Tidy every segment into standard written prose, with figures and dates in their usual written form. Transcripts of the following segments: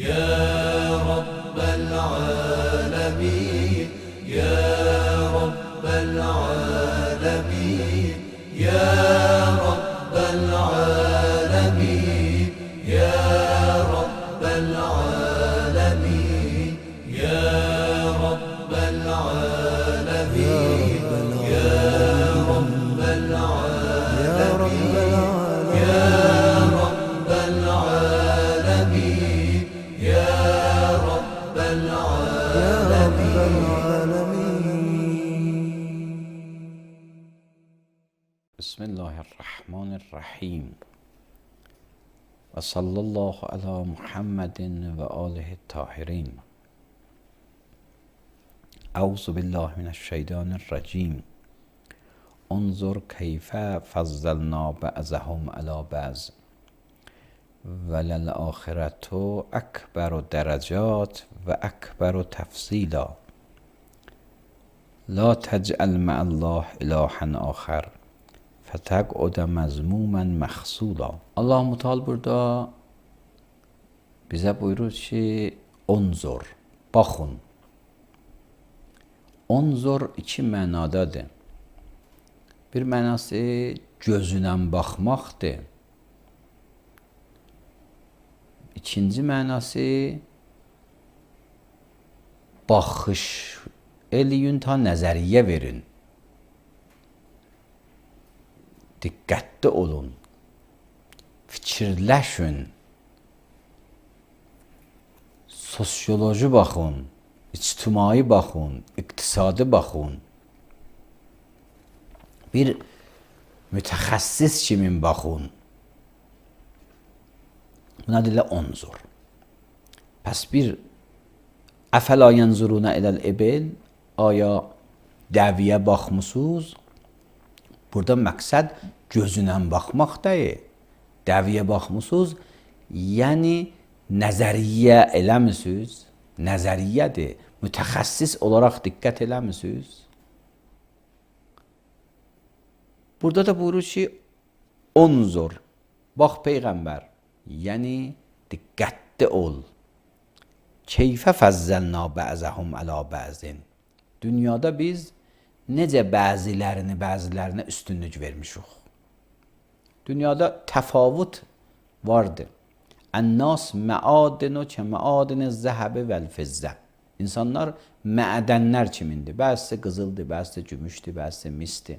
يا رب العالمين يا رب العالمين يا رب العالمين يا رب العالمين يا رب العالمين يا رب العالمين يا رب العالمين يا رب العالمين. بسم الله الرحمن الرحیم و صلی الله علی محمد و آله الطاهرین. اعوذ بالله من الشیطان الرجیم. انظر کیف فضلنا بعضهم علی بعض وللآخرة اکبر درجات و اکبر تفضیلا لا تجعل مع الله الها آخر فتقعد مذموما مخذولا. Allah Teala burada bize buyurur ki onzur, baxın. Onzur iki mənadadır. Bir mənası gözünlə baxmaqdır. İkinci mənası baxış eləyin, ta nəzəriyyə verin. Diqqətli olun. Fikirləşin. Sosioloji baxın, ictimai baxın, iqtisadi baxın. Bir mütəxəssis kimi baxın. Buna deyirlər onzur. Pəs bir əfəla yənzuruna iləl ibil, aya dəviyə baxmısınız? Burada məqsəd gözünlə baxmaq deyil. Dəviyə baxmısınız? Yəni nəzəriyyə eləmisiniz? Nəzəriyyədir. Mütəxəssis olaraq diqqət eləmisiniz? Burada da buyurur ki, onzur, bax Peyğəmbər, yəni diqqətli ol. Keyfə fəzzəlna bəzəhum əla bəzin. Dünyada biz necə bəzilərinə üstünlük vermişik. Dünyada təfavut vardır. Ən-nas məadinu ki məadini zəhəbi vəl-fizzə. İnsanlar mədənlər kimindir. Bəzisi qızıldır, bəzisi gümüşdür, bəzisi misdir.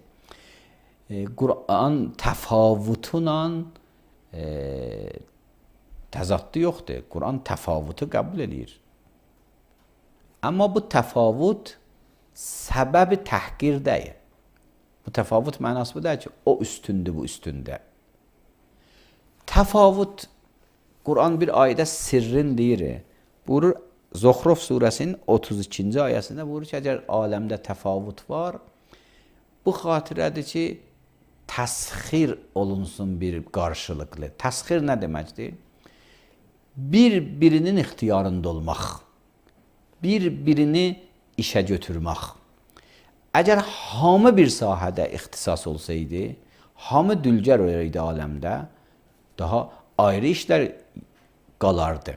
Quran təfavutla təzaddı yoxdur. Quran təfavutu qəbul edir. Amma bu təfavut səbəbi təhqir deyil. Bu təfavut mənası bu deyil ki, o üstündür, bu üstündə. Təfavut, Quran bir ayədə sirrin deyir. Buyurur, Zuhruf surəsinin 32-ci ayəsində buyurur ki, əgər aləmdə təfavut var, bu xatirədir ki, təsxir olunsun bir qarşılıqlı. Təsxir nə deməkdir? Bir-birinin ixtiyarında olmaq, bir-birini işə götürmək. Əgər hamı bir sahədə ixtisas olsaydı, hamı dülgər olaydı aləmdə, daha ayrı işlər qalardı.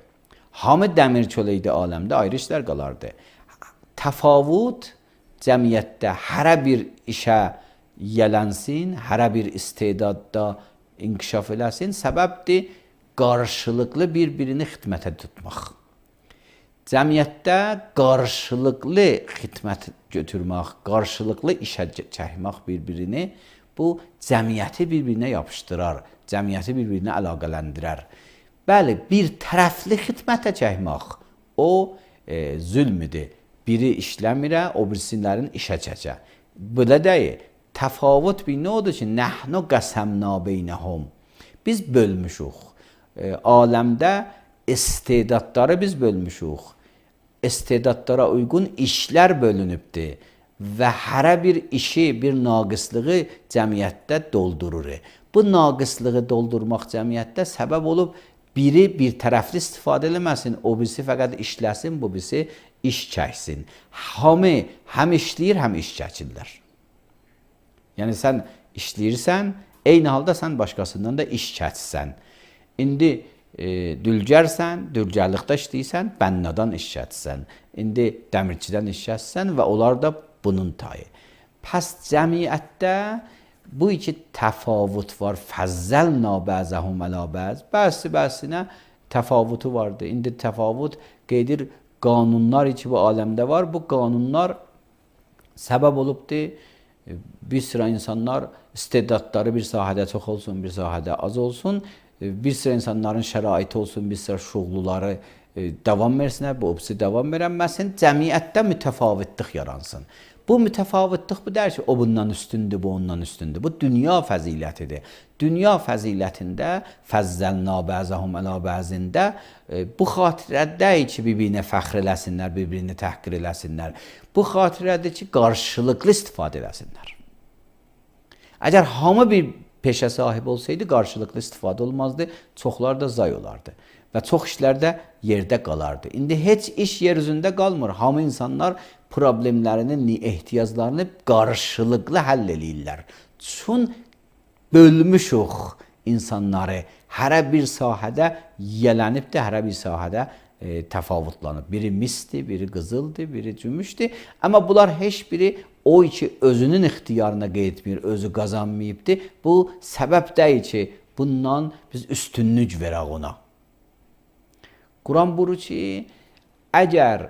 Hamı dəmirçi olaydı aləmdə, ayrı işlər qalardı. Təfavut cəmiyyətdə hərə bir işə yələnsin, hərə bir istedadda inkişaf eləsin, səbəbdir qarşılıqlı bir-birini xidmətə tutmaq. Cəmiyyətdə qarşılıqlı xidmət götürmək, qarşılıqlı işə çəkmək bir-birini, bu cəmiyyəti bir-birinə yapışdırar, cəmiyyəti bir-birinə əlaqələndirər. Bəli, bir tərəfli xidmətə çəkmək, o zülmüdür. Biri işləmirə, o birisilərin işə çəkə. Belə deyil. Təfavut bir nə odur ki, nəhnu qəsəmna beynəhum. Biz bölmüşük. Aləmdə istedadları biz bölmüşük. İstedadlara uyğun işlər bölünübdür və hərə bir işi, bir naqislığı cəmiyyətdə doldurur. Bu naqislığı doldurmaq cəmiyyətdə səbəb olub biri bir tərəfli istifadə eləməsin, o birisi fəqət işləsin, bu birisi iş çəksin. Hamı həm işləyir, həm iş çəkirlər. Yəni sən işləyirsən, eyni halda sən başqasından da iş çəksən. İndi dülgərsən, dülgərlikdə işləyirsən, bənnadan işlətsən. İndi dəmirçidən işlətsən və onlar da bunun tayı. Pəs cəmiyyətdə bu iki təfavut var. Fəzzəlna bəzəhum ələ bəz. Bəzi-bəzinə təfavutu vardı. İndi təfavut qeydir qanunlar ki bu aləmdə var. Bu qanunlar səbəb olubdur. Bir sıra insanlar istedadları bir sahədə çox olsun, bir sahədə az olsun. Bir sıra insanların şəraiti olsun, bir sıra şuğluları davam versinlər, bu opsi davam verənməsin. Cəmiyyətdə mütəfavitlıq yaransın. Bu mütəfavitlıq bu deyir ki, o bundan üstündür, bu ondan üstündür. Bu dünya fəzilətidir. Dünya fəzilətində, fəzzəlna bəzəhum ələ bəzində bu xatirəddir ki, bir-birinə fəxr eləsinlər, bir-birini təhqir eləsinlər. Bu xatirədir ki, qarşılıqlı istifadə eləsinlər. Əgər hamı bir peşə sahibi olsaydı, qarşılıqlı istifadə olmazdı, çoxlar da zay olardı. Və çox işlər də yerdə qalardı. İndi heç iş yer üzündə qalmır. Hamı insanlar problemlərini, ehtiyaclarını qarşılıqlı həll eləyirlər. Çün bölmüşük insanları. Hərə bir sahədə yiyələnibdir, hərə bir sahədə təfavutlanıb. Biri misdir, biri qızıldır, biri cümüşdür. Amma bunlar heç biri o ki özünün ixtiyarına qeytmir, özü qazanmayıbdır. Bu səbəb deyil ki, bundan biz üstünlük verək ona. Quran buyurur ki, əgər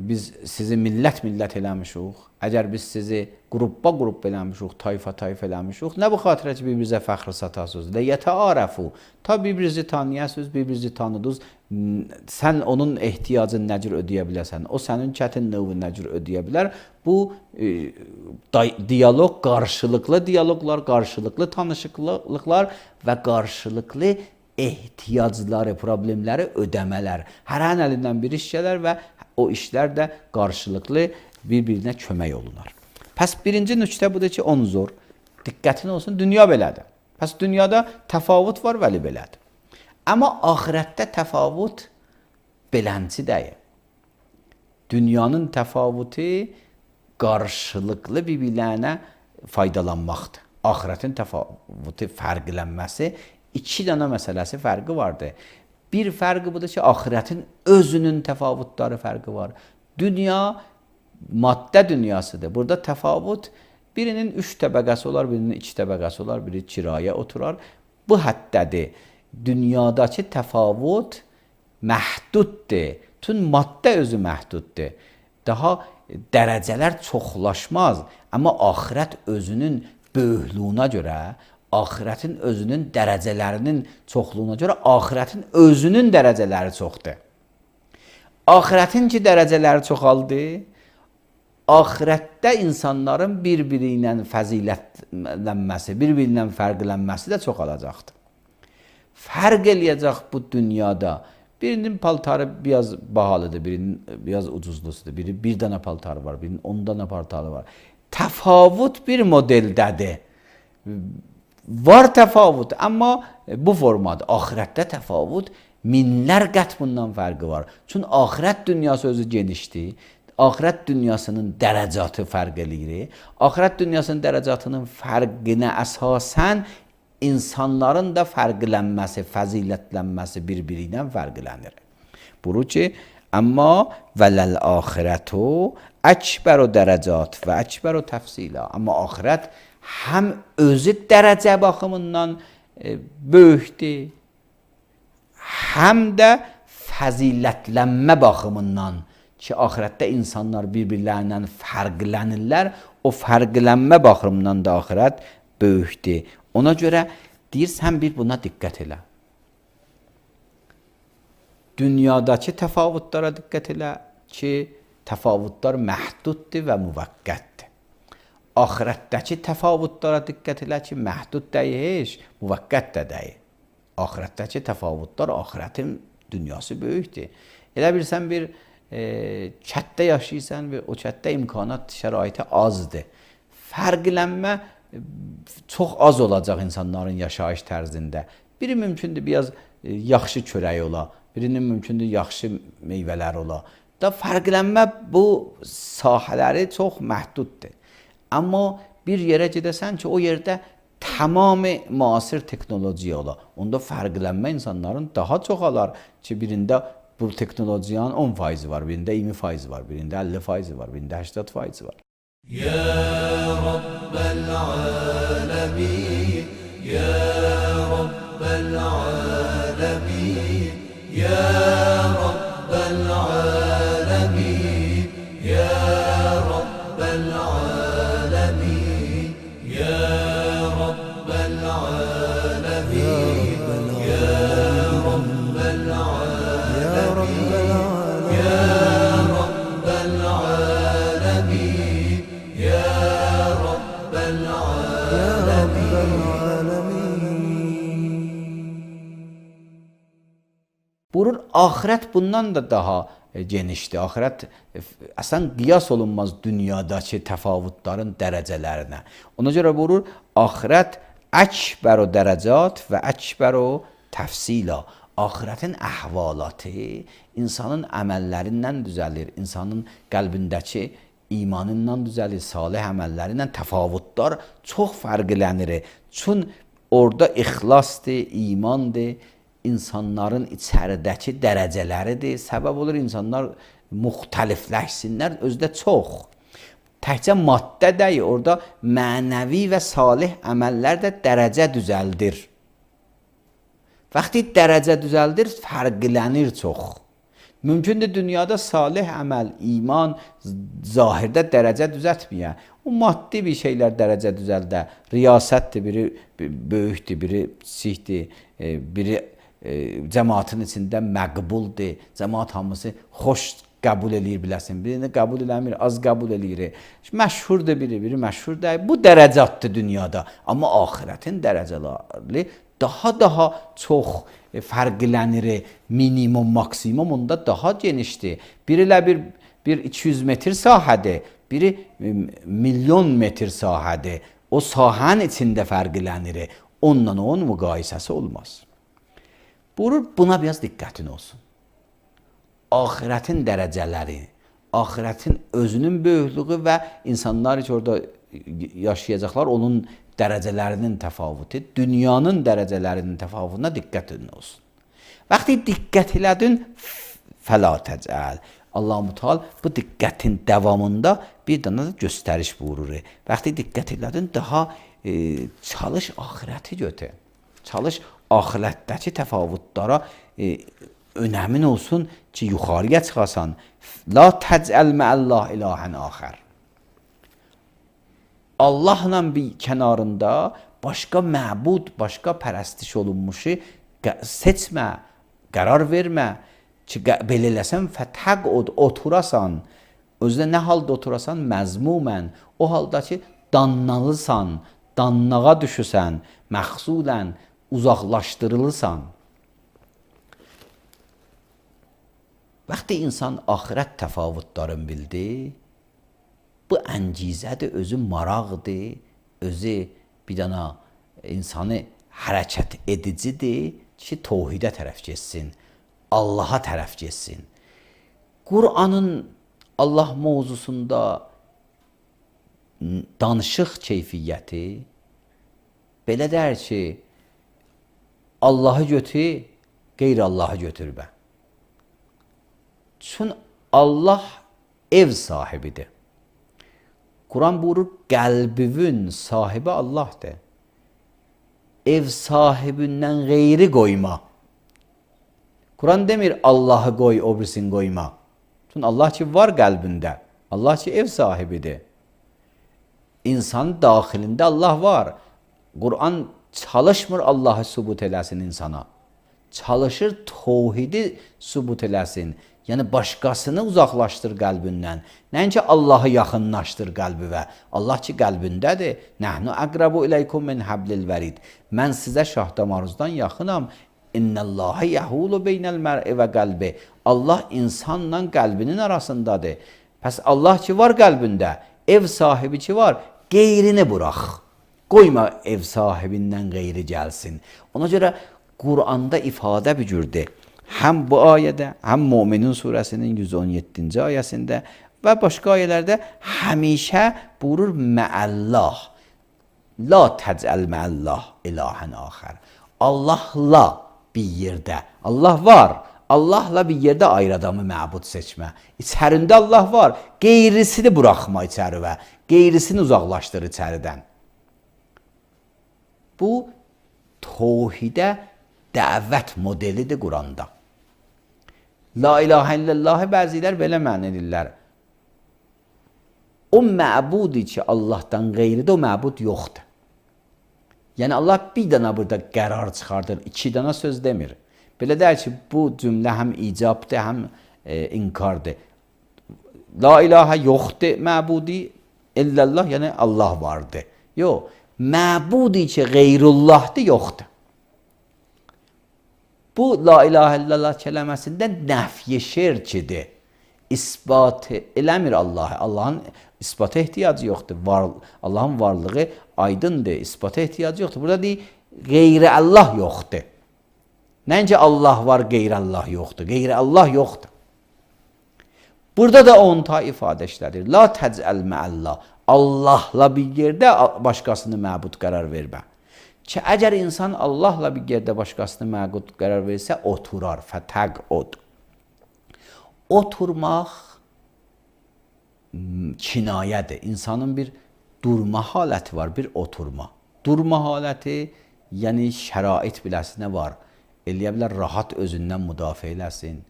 biz sizi millət eləmişik, əgər biz sizi qrup eləmişik, tayfa eləmişik, nə bu xatirə ki, bir-birizə fəxr satasınız, ləyətəarəfu, ta bir-birinizi tanıyasınız, bir-birinizi tanıdınız, sən onun ehtiyacını nə cür ödəyə bilərsən, o sənin çətin növünü nə cür ödəyə bilər. Bu diyaloq, qarşılıqlı diyaloqlar, qarşılıqlı tanışıqlıqlar və qarşılıqlı ehtiyacları, problemləri ödəmələr. Hərənin əlindən bir iş gələr və o işlər də qarşılıqlı bir-birinə kömək olunar. Pəs birinci nöqtə budur ki, onzur, diqqətin olsun, dünya belədir. Pəs dünyada təfavut var, vəli belədir. Amma axirətdə təfavut belənci deyil. Dünyanın təfavutu qarşılıqlı bir-birlərinə faydalanmaqdır. Axirətin təfavutu fərqlənməsi iki dənə məsələsi fərqi vardır. Bir fərqi budur ki, axirətin özünün təfavutları fərqi var. Dünya maddə dünyasıdır. Burada təfavut birinin 3 təbəqəsi olar, birinin 2 təbəqəsi olar, biri kirayə oturar. Bu həddədir. Dünyadakı təfavut məhduddur. Tüm maddə özü məhduddur. Daha dərəcələr çoxlaşmaz. Amma axirət özünün böyüklüyünə görə, axirətin özünün dərəcələrinin çoxluğuna görə axirətin özünün dərəcələri çoxdur. Axirətin ki dərəcələri çoxaldı, axirətdə insanların bir-biri ilə fəzilətlənməsi, bir-biri ilə fərqlənməsi də çoxalacaqdır. Fərq eləyəcək bu dünyada. Birinin paltarı biraz bahalıdır, birinin biraz ucuzlusudur, biri bir dənə paltarı var, birinin 10 dənə paltarı var. Təfavut bir modeldədir. Var təfavut, amma bu formadır. Axirətdə təfavut minlər qət bundan fərqi var. Çünki axirət dünyası özü genişdir. Axirət dünyasının dərəcatı fərq eləyir. Axirət dünyasının dərəcatının fərqinə əsasən insanların da fərqlənməsi, fəzilətlənməsi bir-biri ilə fərqlənir. Buyurur ki, amma vələl axirətu əkbəru dərəcat və əkbəru təfsilə. Amma axirət həm özü dərəcə baxımından böyükdür, həm də fəzilətlənmə baxımından ki, axirətdə insanlar bir-birlərindən fərqlənirlər, o fərqlənmə baxımından da axirət böyükdür. Ona görə deyirsən, bir buna diqqət elə. Dünyadakı təfavutlara diqqət elə ki, təfavutlar məhduddur və müvəqqətdir. Axirətdəki təfavutlara diqqət elə ki, məhdud deyil, müvəqqət də deyil. Axirətdəki təfavutlar, axirətin dünyası böyükdür. Elə bilsən, bir kətdə yaşayırsan və o kətdə imkanat, şəraiti azdır. Fərqlənmə çox az olacaq insanların yaşayış tərzində. Biri mümkündür biraz yaxşı çörək ola, birinin mümkündür yaxşı meyvələr ola. Da fərqlənmə bu sahələri çox məhduddur. Amma bir yerə gedəsən ki, o yerdə tamamı müasir teknolojiye ola. Onda fərqlənmə insanların daha çoxalar ki, birində bu teknolojiyanın 10% var, birində 20% var, birində 50% var, birində 80% var. يا رب العالمين يا رب العالمين يا رب العالمين يا رب العالمين يا رب العالمين يا رب العالمين يا رب العالمين يا رب Buyurur, ahirət bundan da daha genişdir. Ahirət əslən qiyas olunmaz dünyadakı təfavütlərin dərəcələrinə. Ona görə buyurur, ahirət əkbəru dərəcat və əkbəru təfsila. Ahirətin əhvalatı insanın əməllərindən düzəlir, insanın qəlbindəki imanından düzəlir, salih əməllərindən təfavütlər çox fərqlənir. Çün orada ixlasdır, imandır, insanların içəridəki dərəcələridir. Səbəb olur insanlar müxtəlifləşsinlər, özdə çox. Təkcə maddə deyil, orada mənəvi və salih əməllər də dərəcə düzəldir. Vaxtı dərəcə düzəldir, fərqlənir çox. Mümkündür dünyada salih əməl, iman, zahirdə dərəcə düzəltməyə. O maddi bir şeylər dərəcə düzəldə. Riyasətdir, biri böyükdür, biri kiçikdir, biri cəmaatın içində məqbuldur. Cəmaat hamısı xoş qəbul eləyir biləsin. Birini qəbul eləmir, az qəbul eləyir. Məşhurdur biri, biri məşhur deyil. Bu dərəcətdir dünyada. Amma ahirətin dərəcələri daha çox fərqlənir. Minimum, maksimum onda daha genişdir. Biri ilə bir 200 metr sahədir, biri milyon metr sahədir. O sahənin içində fərqlənir. Onunla onun müqayisəsi olmaz. Buyurur, buna biraz diqqətin olsun. Ahirətin dərəcələri, ahirətin özünün böyüklüyü və insanlar ki orada yaşayacaqlar, onun dərəcələrinin təfavütü, dünyanın dərəcələrinin təfavütünə diqqətin olsun. Vaxtı diqqət elədin, fəla təcəl. Allah-u Teala bu diqqətin davamında bir dənə də göstəriş buyurur. Vaxtı diqqət elədin, daha çalış ahirəti götür. Çalış ahirətdəki təfavütlara önəmin olsun ki, yuxarıya çıxasan. La təcəl məəllah ilahən axər. Allahla bir kənarında başqa məbud, başqa pərəstiş olunmuşu seçmə, qərar vermə ki, belə eləsən fətəqud, oturasan. Özdə nə halda oturasan? Məzmumən. O halda ki, dannalısan, dannağa düşüsən, məxsulən, uzaqlaşdırılısan. Vaxtı insan ahirət təfavütlərini bildi, bu əncizədir, özü maraqdır, özü bir dana insanı hərəkət edicidir ki, tohidə tərəf getsin, Allaha tərəf getsin. Qur'anın Allah mövzusunda danışıq keyfiyyəti belə deyir ki, Allahı götür, qeyri-Allahı götürmə. Çün Allah ev sahibidir. Quran buyurur, qəlbivin sahibi Allahdır. Ev sahibindən qeyri qoyma. Quran demir, Allahı qoy, o birisini qoyma. Çün Allah ki var qəlbində. Allah ki ev sahibidir. İnsanın daxilində Allah var. Quran çalışmır Allahı sübut eləsin insana. Çalışır tevhidi sübut eləsin. Yəni başqasını uzaqlaşdır qəlbindən. Nəinki Allahı yaxınlaşdır qəlbivə. Allah ki qəlbindədir. Nəhnu əqrabu iləykum min hablil vərid. Mən sizə şah damarınızdan yaxınam. İnnəllahi yəhulu beynəl mər'i və qəlbi. Allah insanla qəlbinin arasındadır. Pəs Allah ki var qəlbində, ev sahibi ki var, qeyrini burax. Qoyma ev sahibindən qeyri gəlsin. Ona görə Qur'anda ifadə bir cürdür. Həm bu ayədə, həm Möminin surəsinin 117-ci ayəsində və başqa ayələrdə həmişə buyurur məəllah. La təcəl məəllah ilahən axər. Allahla bir yerdə. Allah var. Allahla bir yerdə ayrı adamı məbud seçmə. İçərində Allah var. Qeyrisini buraxma içəri və qeyrisini uzaqlaşdır içəridən. Bu tövhidə dəvət modelidir Quranda. La ilahə illallahı bəzilər belə məna edirlər. O məbudi ki Allahdan qeyridir, o məbud yoxdur. Yəni Allah bir dənə burada qərar çıxardır, iki dənə söz demir. Belə deyir ki, bu cümlə həm icabdır, həm inkardır. La ilahə yoxdur məbudi, illallah yəni Allah vardır. Yox, məbudi ki qeyrullahdır, yoxdur. Bu la ilahə illallah kələməsində nəfy şirkidir. İsbat eləmir Allahı. Allahın isbata ehtiyacı yoxdur. Allahın varlığı aydındır. İsbata ehtiyacı yoxdur. Burada deyir, qeyri Allah yoxdur. Nəinki Allah var, qeyri Allah yoxdur. Qeyri Allah yoxdur. Burada da 10 ta ifadə işlədir. La təcəl məəllah. Allahla bir yerdə başqasını məbud qərar vermə. Ki, əgər insan Allahla bir yerdə başqasını məbud qərar versə, oturar. Fətəqud. Oturmaq kinayədir. İnsanın bir durma haləti var, bir oturma. Durma haləti, yəni şərait biləsinə var. Eləyə bilər, rahat özündən müdafiə eləsin.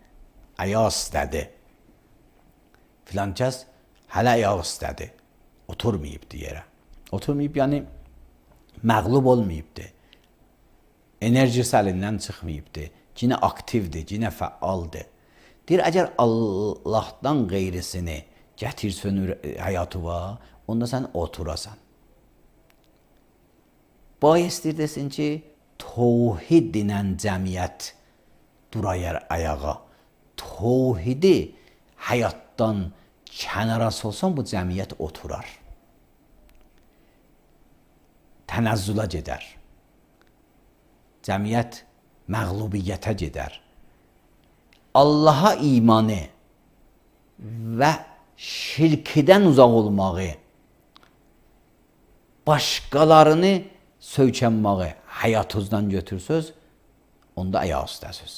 Ayaq istədi. Filan kəs hələ ayaq istədi. Oturmayıbdı yerə. Oturmayıb, yəni məğlub olmayıbdı. Enerjisi əlindən çıxmayıbdı. Cinə aktivdir, cinə fəaldır. Deyir, əgər Allahdan qeyrisini gətirsən həyatıva, onda sən oturasan. Bayəsdir desin ki, tövhid dinən cəmiyyət durayar ayağa. Tövhidi həyatdan kənara solsan, bu cəmiyyət oturar. Tənəzzülə gedər. Cəmiyyət məğlubiyyətə gedər. Allaha imanı və şirkdən uzaq olmağı, başqalarını söykənməyi həyatınızdan götürsüz, onda ayaq üstəsiz.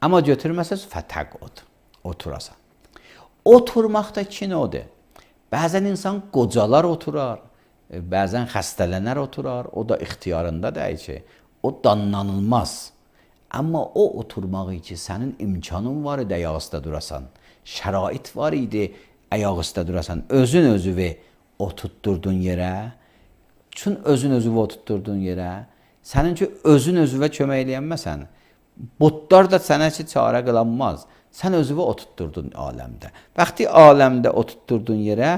Amma götürməsəz, fətəqud, oturasan. Oturmaq da iki növdür. Bəzən insan qocalar oturar, bəzən xəstələnər oturar, o da ixtiyarında deyil ki, o danlanılmaz. Amma o oturmağı ki, sənin imkanın var idi ayaq üstə durasan, şərait var idi ayaq üstə durasan, özün özüvü oturtdurdun yerə, çün özün özüvü oturtdurdun yerə, sənin ki, özün özüvə kömək eləyənməsən, butlar da sənə ki, çarə qılanmaz, sən özüvü oturtdurdun aləmdə. Bəxti aləmdə oturtdurdun yerə,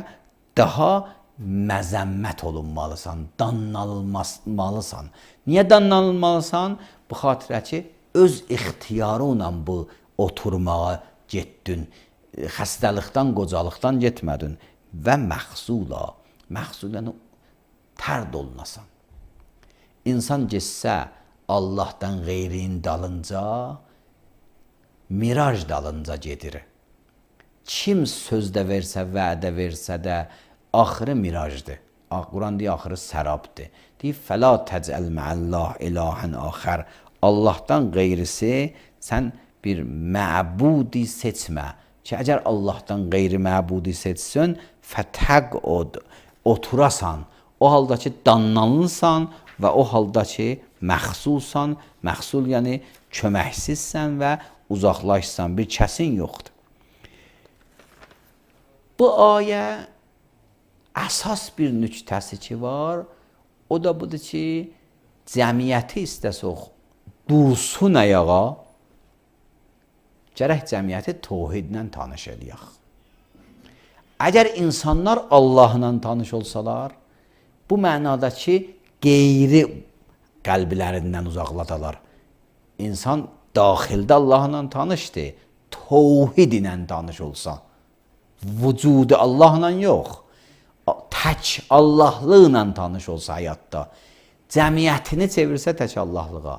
daha məzəmmət olunmalısan, danlanılmalısan. Niyə danlanılmalısan? Bu xatirə ki, öz ixtiyarı ilə bu oturmağa getdin, xəstəlikdən, qocalıqdan getmədin və məxsulən tərd olunasan. İnsan getsə Allahdan qeyrin dalınca, miraj dalınca gedir. Kim sözdə versə, vədə versə də, axırı mirajdır. Quran deyir, axırı sərabdır. Deyir, fəla təcəl məəllah ilahən axər. Allahdan qeyrisi sən bir məbudi seçmə. Ki, əgər Allahdan qeyri məbudi seçsən, fətəqud, oturasan. O halda ki, danlanırsan və o halda ki, məxsulsan. Məxsul yəni köməksizsən və uzaqlaşsan. Bir kəsin yoxdur. Bu ayə əsas bir nüktəsi ki var, o da budur ki, cəmiyyəti istəsək, dursun ayağa, gərək cəmiyyəti tövhidlə tanış eləyək. Əgər insanlar Allahla tanış olsalar, bu mənada ki, qeyri qəlblərindən uzaqladalar. İnsan daxildə Allahla tanışdır, tövhid ilə tanış olsa, vücudu Allahla yox, tək Allahlıqla tanış olsa həyatda, cəmiyyətini çevirsə tək Allahlığa,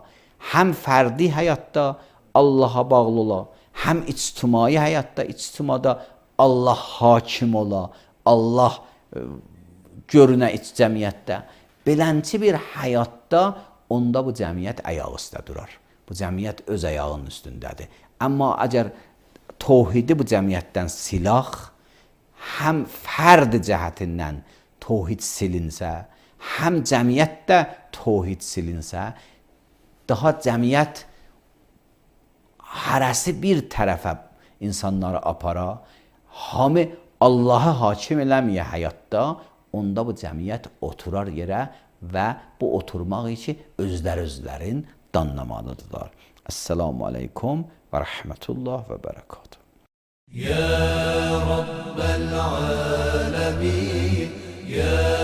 həm fərdi həyatda Allaha bağlı ola, həm ictimai həyatda, ictimada Allah hakim ola, Allah görünə cəmiyyətdə, beləncə bir həyatda onda bu cəmiyyət ayaq üstə durar. Bu cəmiyyət öz ayağının üstündədir. Amma əgər tövhidi bu cəmiyyətdən silaq, həm fərd cəhətindən tövhid silinsə, həm cəmiyyətdə tövhid silinsə, daha cəmiyyət hərəsi bir tərəfə insanları apara, hamı Allah'a hakim eləməyə həyatda, onda bu cəmiyyət oturar yerə və bu oturmaq üçün özlərin danlamalıdırlar. Esselamu aleykum ve rahmetullah ve berekatuhu. Ya Rabbel alemin, ya